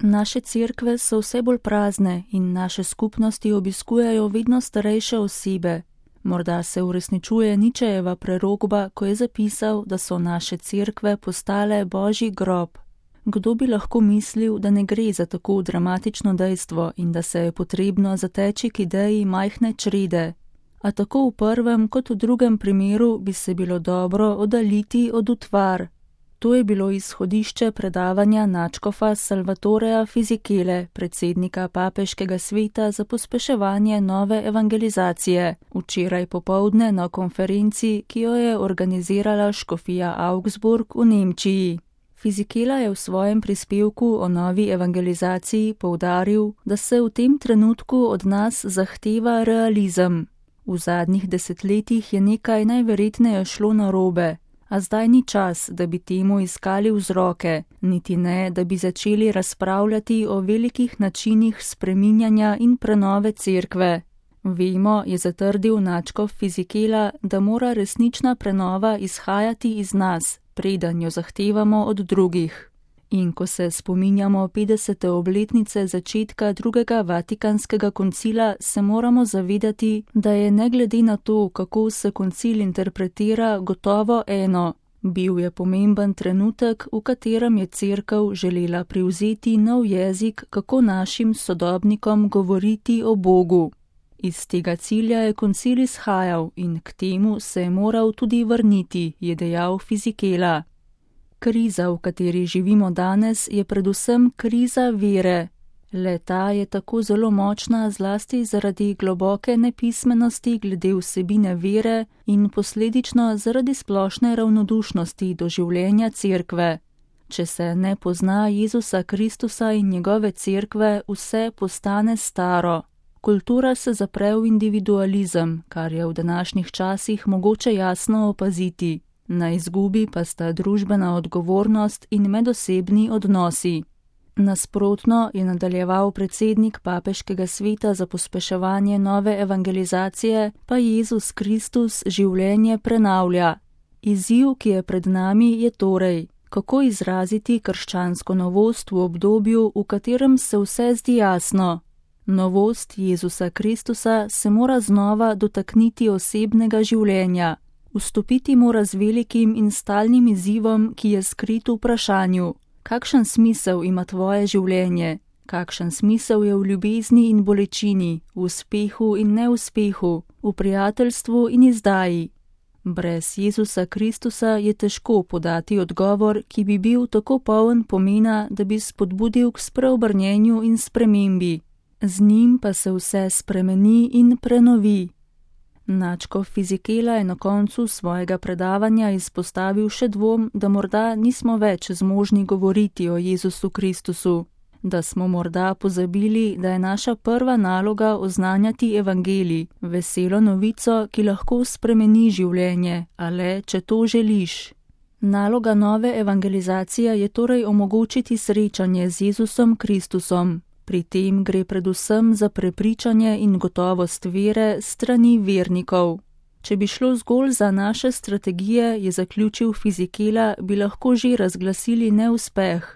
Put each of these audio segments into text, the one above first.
Naše cerkve so vse bolj prazne in naše skupnosti obiskujejo vedno starejše osebe. Morda se uresničuje Ničejeva prerokba, ko je zapisal, da so naše cerkve postale Božji grob. Kdo bi lahko mislil, da ne gre za tako dramatično dejstvo in da se je potrebno zateči k ideji majhne črede? A tako v prvem kot v drugem primeru bi se bilo dobro oddaljiti od utvar. To je bilo izhodišče predavanja nadškofa Salvatorea Fisichele, predsednika Papeškega sveta za pospeševanje nove evangelizacije, včeraj popoldne na konferenci, ki jo je organizirala škofija Augsburg v Nemčiji. Fisichela je v svojem prispevku o novi evangelizaciji poudaril, da se v tem trenutku od nas zahteva realizem. V zadnjih desetletjih je nekaj najverjetneje šlo narobe. A zdaj ni čas, da bi temu iskali vzroke, niti ne, da bi začeli razpravljati o velikih načinih spreminjanja in prenove cerkve. Vemo, je zatrdil nadškof Fisichela, da mora resnična prenova izhajati iz nas, preden jo zahtevamo od drugih. In ko se spominjamo 50. obletnice začetka drugega Vatikanskega koncila, se moramo zavedati, da je ne glede na to, kako se koncil interpretira, gotovo eno. Bil je pomemben trenutek, v katerem je cerkev želela privzeti nov jezik, kako našim sodobnikom govoriti o Bogu. Iz tega cilja je koncil izhajal in k temu se je moral tudi vrniti, je dejal Fisichela. Kriza, v kateri živimo danes, je predvsem kriza vere. Le ta je tako zelo močna zlasti zaradi globoke nepismenosti glede vsebine vere in posledično zaradi splošne ravnodušnosti do življenja cerkve. Če se ne pozna Jezusa Kristusa in njegove cerkve, vse postane staro. Kultura se zapre v individualizem, kar je v današnjih časih mogoče jasno opaziti. Na izgubi pa sta družbena odgovornost in medosebni odnosi. Nasprotno, je nadaljeval predsednik Papeškega sveta za pospeševanje nove evangelizacije, pa Jezus Kristus življenje prenavlja. Izziv, ki je pred nami, je torej, kako izraziti krščansko novost v obdobju, v katerem se vse zdi jasno. Novost Jezusa Kristusa se mora znova dotakniti osebnega življenja. Vstopiti mora z velikim in stalnim izzivom, ki je skrit v vprašanju. Kakšen smisel ima tvoje življenje? Kakšen smisel je v ljubezni in bolečini, v uspehu in neuspehu, v prijateljstvu in izdaji? Brez Jezusa Kristusa je težko podati odgovor, ki bi bil tako poln pomena, da bi spodbudil k spreobrnjenju in spremembi. Z njim pa se vse spremeni in prenovi. Nadškof Fisichela je na koncu svojega predavanja izpostavil še dvom, da morda nismo več zmožni govoriti o Jezusu Kristusu, da smo morda pozabili, da je naša prva naloga oznanjati evangelij, veselo novico, ki lahko spremeni življenje, a le, če to želiš. Naloga nove evangelizacije je torej omogočiti srečanje z Jezusom Kristusom. Pri tem gre predvsem za prepričanje in gotovost vere strani vernikov. Če bi šlo zgolj za naše strategije, je zaključil Fisichela, bi lahko že razglasili neuspeh.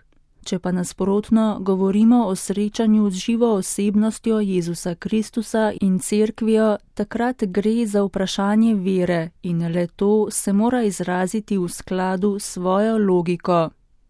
Če pa nasprotno govorimo o srečanju z živo osebnostjo Jezusa Kristusa in cerkvijo, takrat gre za vprašanje vere in le to se mora izraziti v skladu s svojo logiko.